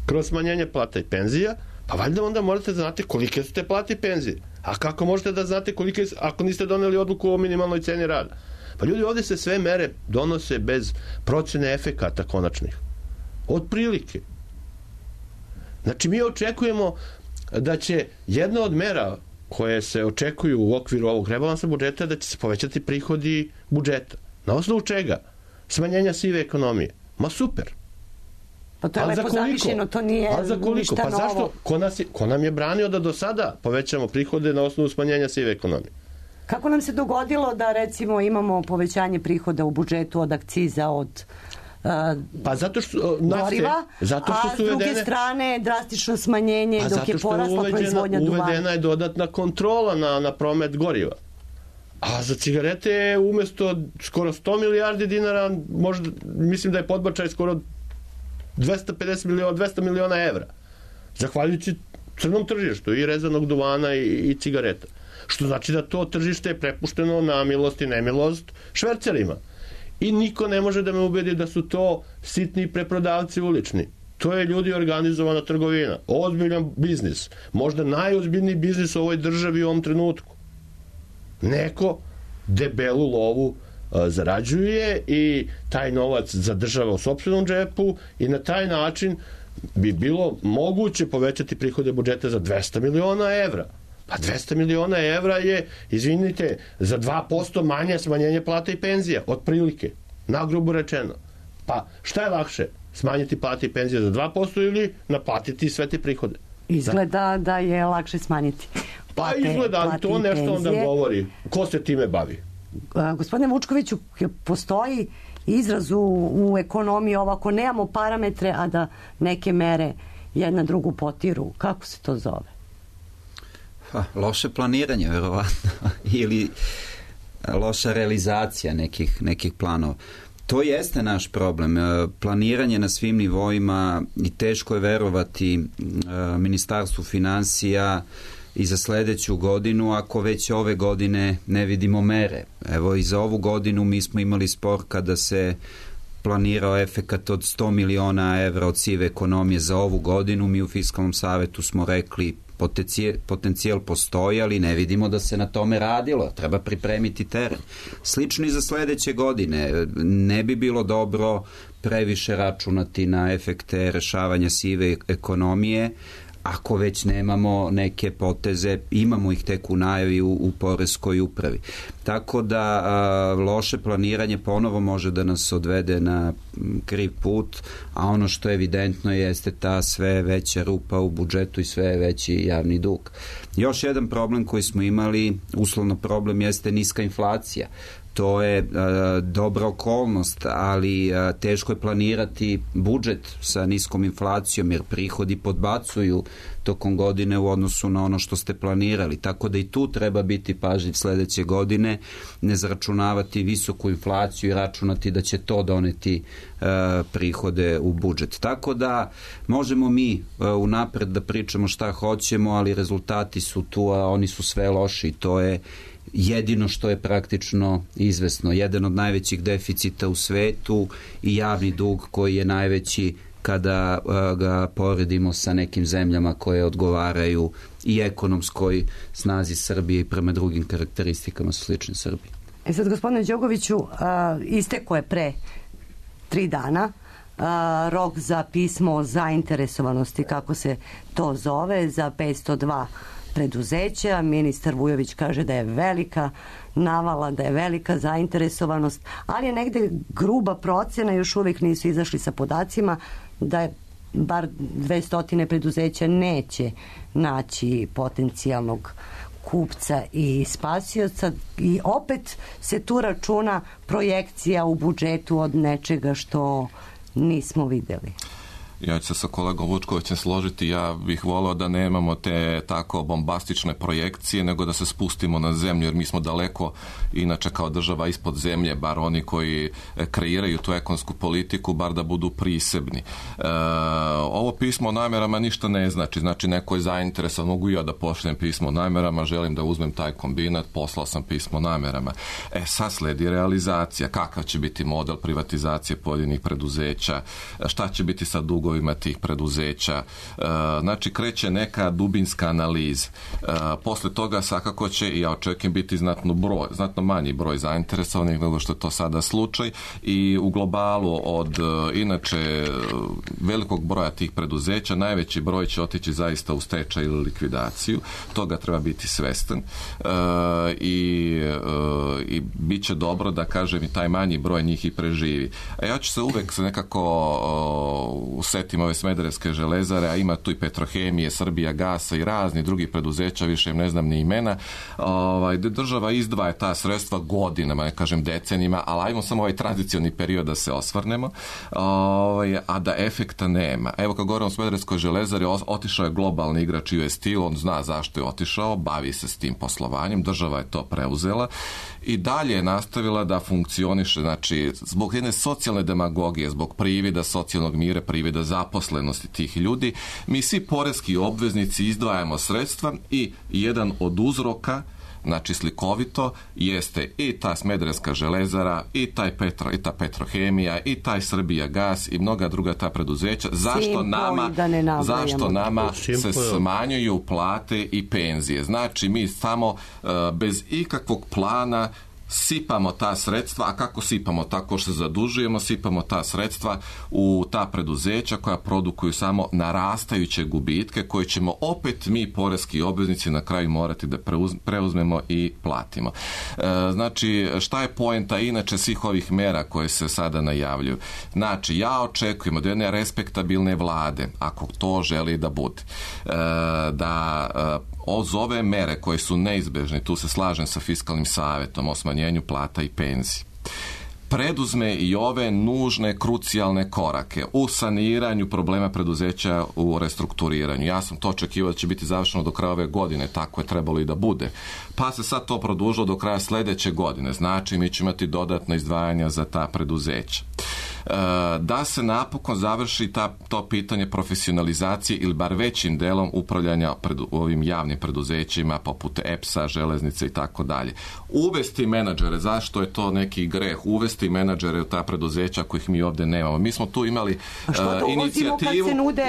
S5: kroz smanjenje plata i penzija, pa valjda onda morate da znate kolike su te plate i penzije. A kako možete da znate kolike, ako niste doneli odluku o minimalnoj ceni rada? Pa ljudi, ovdje se sve mere donose bez procene efekata konačnih. Od prilike. Znači, mi očekujemo da će jedna od mera koje se očekuju u okviru ovog rebalansa budžeta da će se povećati prihodi budžeta. Na osnovu čega? Smanjenja sive ekonomije. Ma super.
S2: Pa to je lepo zamišljeno, to nije ništa novo.
S5: Pa zašto? Ko nam je branio da do sada povećamo prihode na osnovu smanjenja sive ekonomije?
S2: Kako nam se dogodilo da recimo imamo povećanje prihoda u budžetu od akciza, od
S5: pa zato što goriva,
S2: a s druge strane drastično smanjenje dok je porasla proizvodnja duvana?
S5: Uvedena je dodatna kontrola na promet goriva. A za cigarete umjesto skoro 100 milijardi dinara, možda, mislim da je podbačaj skoro 200 miliona evra. Zahvaljujući crnom tržištu i rezanog duvana i cigareta. što znači da to tržište je prepušteno na milost i nemilost švercerima. I niko ne može da me ubedi da su to sitni preprodavci ulični. To je, ljudi, organizovana trgovina, ozbiljan biznis, možda najozbiljniji biznis u ovoj državi u ovom trenutku. Neko debelu lovu zarađuje i taj novac zadržava u sopstvenom džepu i na taj način bi bilo moguće povećati prihode budžeta za 200 miliona evra. Pa 200 miliona evra je, izvinite, za 2% manje smanjenje plata i penzija, otprilike, nagrubo rečeno. Pa šta je lakše? Smanjiti plate i penzije za 2% ili naplatiti sve te prihode?
S2: Izgleda da je lakše smanjiti plate,
S5: pa izgleda, to nešto onda govori. Ko se time bavi?
S2: Gospodine Vučkoviću, postoji izraz u ekonomiji ovako, nemamo parametre, a da neke mere jedna drugu potiru. Kako se to zove?
S8: Loše planiranje, verovatno. Ili loša realizacija nekih planova. To jeste naš problem. Planiranje na svim nivoima i teško je verovati Ministarstvu finansija i za sledeću godinu, ako već ove godine ne vidimo mere. Evo, i za ovu godinu mi smo imali spor kada se planirao efekat od 100 miliona evra od sive ekonomije za ovu godinu. Mi u Fiskalnom savetu smo rekli potencijal postoji, ali ne vidimo da se na tome radilo. Treba pripremiti teren. Slično i za sledeće godine. Ne bi bilo dobro previše računati na efekte rešavanja sive ekonomije, ako već nemamo neke poteze, imamo ih tek u najavi u poreskoj upravi. Tako da loše planiranje ponovo može da nas odvede na kriv put, a ono što je evidentno jeste ta sve veća rupa u budžetu i sve veći javni dug. Još jedan problem koji smo imali, uslovno problem, jeste niska inflacija. To je dobra okolnost, ali teško je planirati budžet sa niskom inflacijom, jer prihodi podbacuju tokom godine u odnosu na ono što ste planirali. Tako da i tu treba biti pažljiv sledeće godine, ne zaračunavati visoku inflaciju i računati da će to doneti prihode u budžet. Tako da možemo mi unapred da pričamo šta hoćemo, ali rezultati su tu, a oni su sve loši. To je jedino što je praktično izvesno. Jedan od najvećih deficita u svetu i javni dug koji je najveći kada ga poredimo sa nekim zemljama koje odgovaraju i ekonomskoj snazi Srbije i prema drugim karakteristikama su slične Srbiji.
S2: Sad, gospodine Đogoviću, isteko je pre 3 dana rok za pismo zainteresovanosti, kako se to zove, za 502 preduzeća. Ministar Vujović kaže da je velika navala, da je velika zainteresovanost, ali je negde gruba procena, još uvijek nisu izašli sa podacima, da je bar 200 preduzeća neće naći potencijalnog kupca i spasioca, i opet se tu računa projekcija u budžetu od nečega što nismo videli.
S6: Ja ću se sa kolegom Vučkovićem složiti, ja bih volao da nemamo te tako bombastične projekcije, nego da se spustimo na zemlju, jer mi smo daleko, inače kao država, ispod zemlje, bar oni koji kreiraju tu ekonomsku politiku, bar da budu prisebni. Ovo pismo o namerama ništa ne znači, znači neko je zainteresovan, mogu ja da pošaljem pismo o namerama, želim da uzmem taj kombinat, poslao sam pismo o namerama. Sad sledi realizacija, kakav će biti model privatizacije pojedinih preduzeća, šta će biti sa dugovima tih preduzeća, znači kreće neka dubinska analiza. Posle toga svakako će, i ja očekujem, biti znatno manji broj zainteresovanih nego što je to sada slučaj, i u globalu od inače velikog broja tih preduzeća najveći broj će otići zaista u stečaj ili likvidaciju. Toga treba biti svestan i bit će dobro da, kažem, i taj manji broj njih i preživi. A ja ću se uvek nekako setim ove Smederevske železare, a ima tu i Petrohemije, Srbija gasa i razni drugi preduzeća, više im ne znam ni imena, gde država izdvaja ta sredstva godinama, ne kažem decenijima, ali ajmo samo ovaj tranzicioni period da se osvrnemo, a da efekta nema. Evo, kad govorimo o Smederevskoj železari, otišao je globalni igrač US Steel, on zna zašto je otišao, bavi se s tim poslovanjem, država je to preuzela i dalje je nastavila da funkcioniše, znači, zbog jedne socijalne demagogije, zbog privida socijalnog mira, privida zaposlenosti tih ljudi, mi svi poreski obveznici izdvajamo sredstva i jedan od uzroka znači slikovito, jeste i ta Smederevska železara, i ta Petrohemija, i taj Srbija gas i mnoga druga ta preduzeća. Zašto nama se smanjuju plate i penzije? Znači mi samo bez ikakvog plana sipamo ta sredstva, a kako sipamo? Tako što se zadužujemo, sipamo ta sredstva u ta preduzeća koja produkuju samo narastajuće gubitke koje ćemo opet mi, poreski obveznici, na kraju morati da preuzmemo i platimo. Znači, šta je poenta inače svih ovih mera koje se sada najavljuju? Znači, ja očekujem od jedne respektabilne vlade, ako to želi da bude, da uz ove mere koje su neizbežne, tu se slažem sa Fiskalnim savetom o smanjenju plata i penziji, preduzme i ove nužne, krucijalne korake u saniranju problema preduzeća u restrukturiranju. Ja sam to očekivao da će biti završeno do kraja ove godine, tako je trebalo i da bude. Pa se sad to produžilo do kraja sledeće godine. Znači, mi ćemo imati dodatno izdvajanja za ta preduzeća. Da se napokon završi to pitanje profesionalizacije ili bar većim delom upravljanja ovim javnim preduzećima poput EPS-a, železnice i tako dalje. Uvesti menadžere, zašto je to neki greh? Uvesti menadžere u ta preduzeća kojih mi ovde nemamo. Mi smo tu imali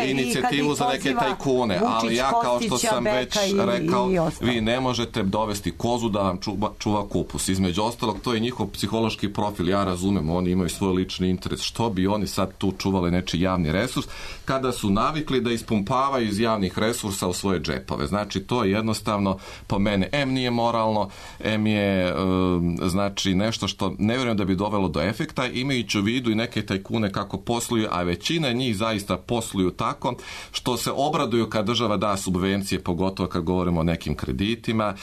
S6: inicijativu za neke tajkune, ali ja, kao što sam već rekao, vi ne možete dovesti kozu da vam čuva kupus. Između ostalog, to je njihov psihološki profil, ja razumem, oni imaju svoj lični interes. Što bi oni sad tu čuvali nečiji javni resurs kada su navikli da ispumpavaju iz javnih resursa u svoje džepove? Znači, to je jednostavno po mene nije moralno, je znači nešto što ne vjerujem da bi dovelo do efekta, imajući u vidu i neke tajkune kako posluju, a većina njih zaista posluju tako što se obraduju kad država da subvencije, pogotovo kad govorimo o nekim kreditima,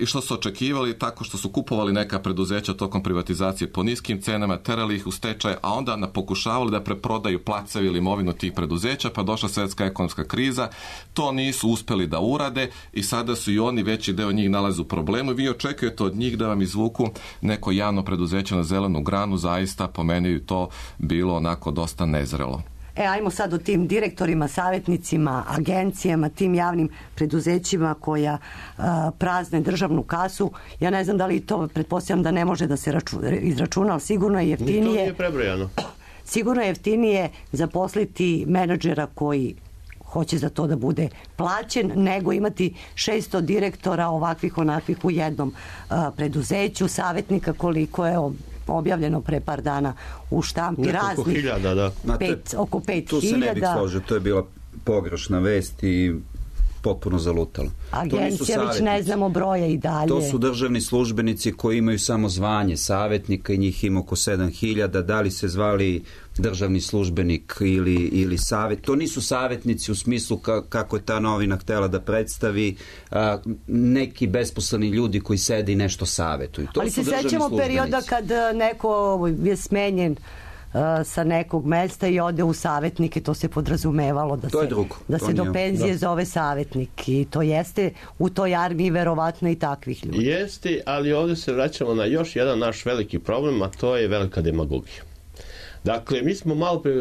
S6: i što su očekivali tako što su kupovali neka preduzeća tokom privatizacije po niskim cenama, terali ih u stečaj, a onda pokušavali da preprodaju placeve ili imovinu tih preduzeća, pa došla svjetska ekonomska kriza, to nisu uspeli da urade i sada su i oni, veći deo njih, nalaze u problemu. Vi očekujete od njih da vam izvuku neko javno preduzeće na zelenu granu, zaista po meni to bilo onako dosta nezrelo.
S2: Ajmo sad o tim direktorima, savjetnicima, agencijama, tim javnim preduzećima koja prazne državnu kasu. Ja ne znam da li to, pretpostavljam da ne može da se izračuna, ali sigurno je jeftinije.
S5: To nije prebrojano.
S2: Sigurno je jeftinije zaposliti menadžera koji hoće za to da bude plaćen, nego imati 600 direktora ovakvih onakvih u jednom preduzeću, savjetnika koliko je objavljeno pre par dana u štampi
S5: raznih. Hiljada, da.
S2: Oko 5.000.
S8: Tu se ne bih složio, to je bila pogrešna vest i potpuno zalutalo.
S2: Agencija već ne znamo broje i dalje.
S8: To su državni službenici koji imaju samo zvanje savjetnika i njih ima oko 7.000. Da li se zvali državni službenik ili savjet. To nisu savjetnici u smislu kako je ta novina htela da predstavi neki besposleni ljudi koji sede i nešto savjetuju.
S2: Ali se sećamo perioda kad neko je smenjen sa nekog mesta i ode u savjetnike, to se podrazumevalo da se do penzije zove savjetnik i to jeste u toj armiji verovatno i takvih ljudi.
S5: Jeste, ali ovdje se vraćamo na još jedan naš veliki problem, a to je velika demagogija. Dakle, mi smo malo pre,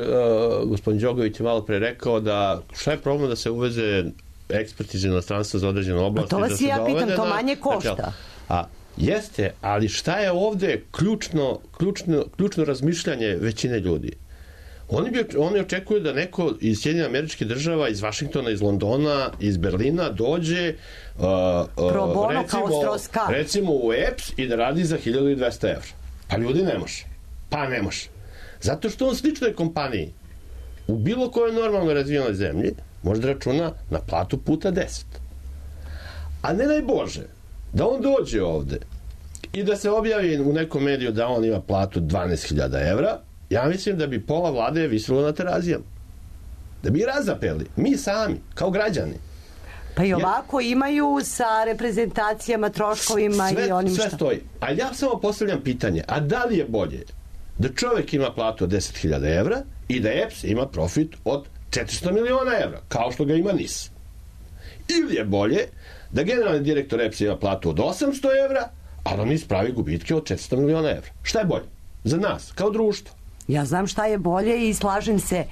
S5: gospodin Đogović je malo pre rekao da šta je problem da se uveze ekspert iz inostranstva za određenu oblast.
S2: To vas ja pitam, to manje košta.
S5: Jeste, ali šta je ovdje ključno razmišljanje većine ljudi? Oni očekuju da neko iz Sjedinjenih Američkih Država, iz Vašingtona, iz Londona, iz Berlina dođe recimo u EPS i da radi za 1200 evra. Pa ljudi ne može. Ne može. Zato što on sličnoj kompaniji u bilo kojoj normalno razvijenoj zemlji može da računa na platu puta 10. A ne daj Bože da on dođe ovde i da se objavi u nekom mediju da on ima platu 12.000 evra, ja mislim da bi pola vlade visilo na terazijama. Da bi razapeli. Mi sami, kao građani.
S2: Pa i ovako imaju sa reprezentacijama, troškovima i onim što...
S5: Sve stoji. A ja samo postavljam pitanje, a da li je bolje da čovjek ima platu od 10.000 evra i da EPS ima profit od 400 miliona evra, kao što ga ima NIS? Ili je bolje da generalni direktor EPS ima platu od 800 evra, a da NIS pravi gubitke od 400 miliona evra? Šta je bolje? Za nas, kao društvo.
S2: Ja znam šta je bolje i slažem se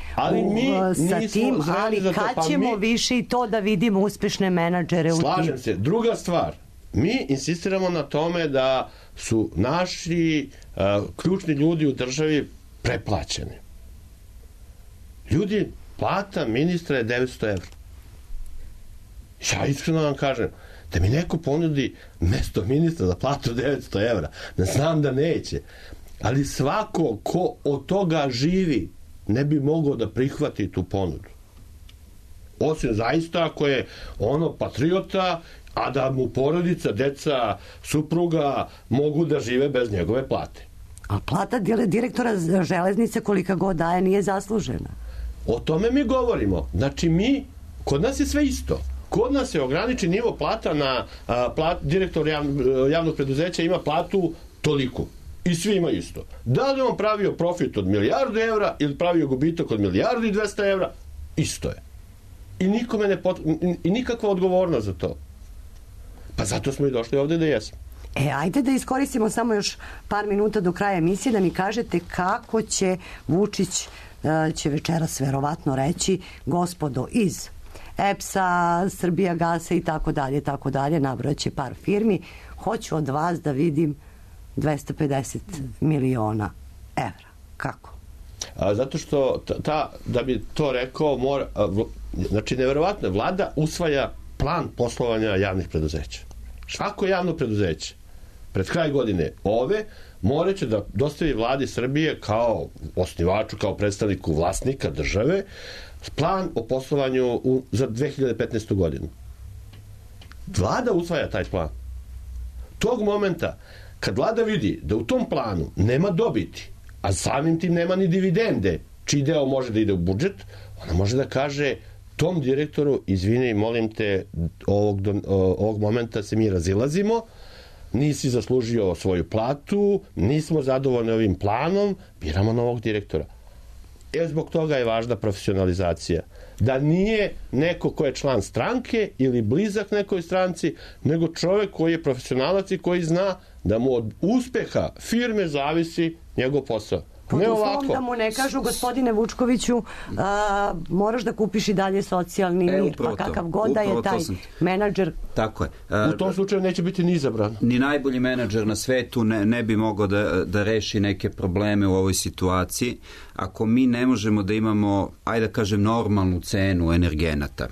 S2: sa tim, ali kad ćemo više i to da vidimo uspešne menadžere u tim?
S5: Slažem se. Druga stvar, mi insistiramo na tome da su naši ključni ljudi u državi preplaćeni. Ljudi, plata ministra je 900 evra. Ja iskreno vam kažem, da mi neko ponudi mesto ministra za platu 900 evra, da znam da neće, ali svako ko od toga živi ne bi mogao da prihvati tu ponudu. Osim zaista ako je ono patriota, a da mu porodica, deca, supruga mogu da žive bez njegove plate.
S2: A plata direktora železnice kolika god daje nije zaslužena.
S5: O tome mi govorimo. Znači kod nas je sve isto. Kod nas je ograničen nivo plata na direktor javnog preduzeća ima platu toliku. I svi imaju isto. Da li on pravio profit od 1 milijardu evra ili pravio gubitak od 1 milijardu i 200 evra, isto je. I nikome i nikakva odgovornost za to. Pa zato smo i došli ovde da jesmo.
S2: Ajde da iskoristimo samo još par minuta do kraja emisije da mi kažete kako će Vučić, će večeras verovatno reći, gospodo iz EPS-a, Srbijagasa i tako dalje, nabrojaće par firmi, hoću od vas da vidim 250 miliona evra. Kako?
S5: Zato što da bi to rekao znači neverovatno je, vlada usvaja plan poslovanja javnih preduzeća. Svako javno preduzeće pred kraj godine moraće da dostavi vladi Srbije kao osnivaču, kao predstavniku vlasnika države plan o poslovanju za 2015. godinu. Vlada usvaja taj plan. Tog momenta kad vlada vidi da u tom planu nema dobiti, a samim tim nema ni dividende, čiji deo može da ide u budžet, ona može da kaže tom direktoru, izvini, molim te, ovog momenta se mi razilazimo, nisi zaslužio svoju platu, nismo zadovoljni ovim planom, biramo novog direktora. Zbog toga je važna profesionalizacija. Da nije neko ko je član stranke ili blizak nekoj stranci, nego čovek koji je profesionalac i koji zna da mu od uspeha firme zavisi njegov posao.
S2: Pod uslovom da mu ne kažu, gospodine Vučkoviću, moraš da kupiš i dalje socijalni mir, pa kakav god da je taj menadžer.
S8: Tako je.
S5: U tom slučaju neće biti ni izabran.
S8: Ni najbolji menadžer na svetu ne bi mogao da reši neke probleme u ovoj situaciji ako mi ne možemo da imamo, ajde da kažem, normalnu cenu energenata,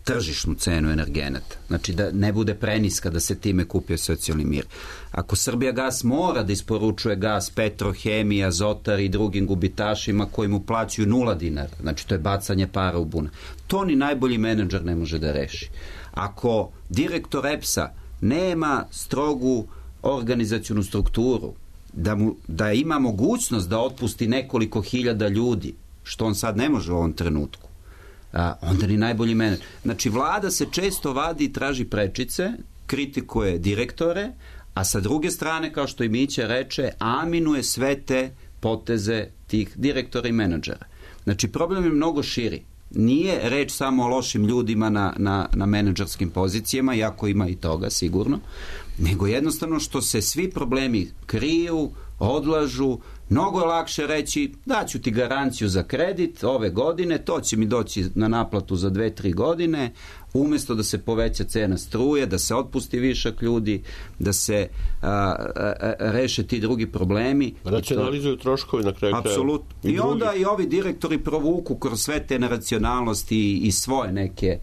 S8: tržišnu cenu energenata. Znači da ne bude preniska da se time kupio socijalni mir. Ako Srbijagas mora da isporučuje gas Petrohemiji, Azotar i drugim gubitašima koji mu plaćaju 0 dinara, znači to je bacanje para u bunar, to ni najbolji menadžer ne može da reši. Ako direktor EPS-a nema strogu organizacionu strukturu, da ima mogućnost da otpusti nekoliko hiljada ljudi, što on sad ne može u ovom trenutku, onda ni najbolji menadžer. Znači, vlada se često vadi i traži prečice, kritikuje direktore, a sa druge strane, kao što i Mića reče, aminuje sve te poteze tih direktora i menadžera. Znači, problem je mnogo širi. Nije reč samo o lošim ljudima na menadžerskim pozicijama, iako ima i toga, sigurno, nego jednostavno što se svi problemi kriju, odlažu. Mnogo je lakše reći daću ti garanciju za kredit ove godine, to će mi doći na naplatu za 2-3 godine, umjesto da se poveća cena struje, da se otpusti višak ljudi, da se reše ti drugi problemi.
S5: Racionalizuju troškovi na kraju.
S8: Apsolutno. I onda i ovi direktori provuku kroz sve te neracionalnosti i svoje neke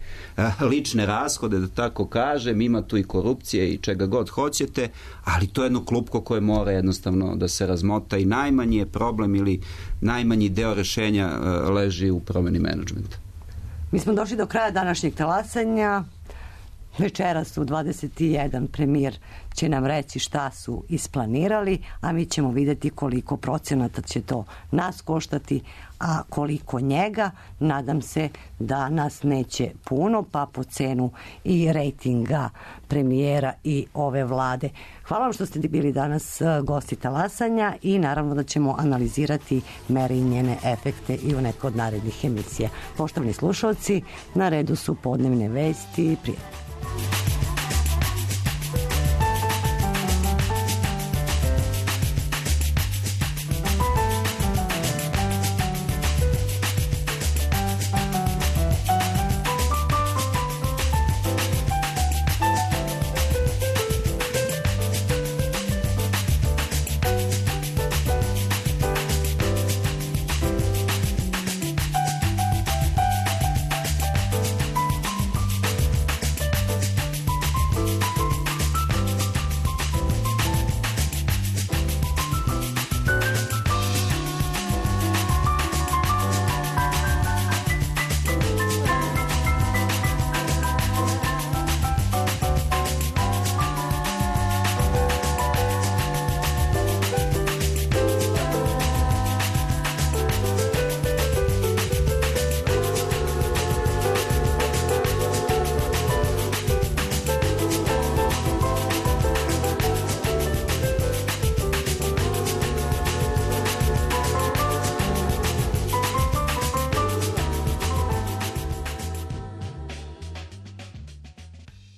S8: lične rashode, da tako kažem, ima tu i korupcije i čega god hoćete, ali to je jedno klupko koje mora jednostavno da se razmota i najmanji je problem ili najmanji deo rešenja leži u promeni menadžmenta.
S2: Mi smo došli do kraja današnjeg talasanja. Večeras u 21 premijer će nam reći šta su isplanirali, a mi ćemo vidjeti koliko procenata će to nas koštati, a koliko njega. Nadam se da nas neće puno, pa po cenu i rejtinga premijera i ove vlade. Hvala vam što ste bili danas gosti talasanja i naravno da ćemo analizirati mere i njene efekte i u nekoj od narednih emisija. Poštovani slušalci, na redu su podnevne vesti. Prijatno.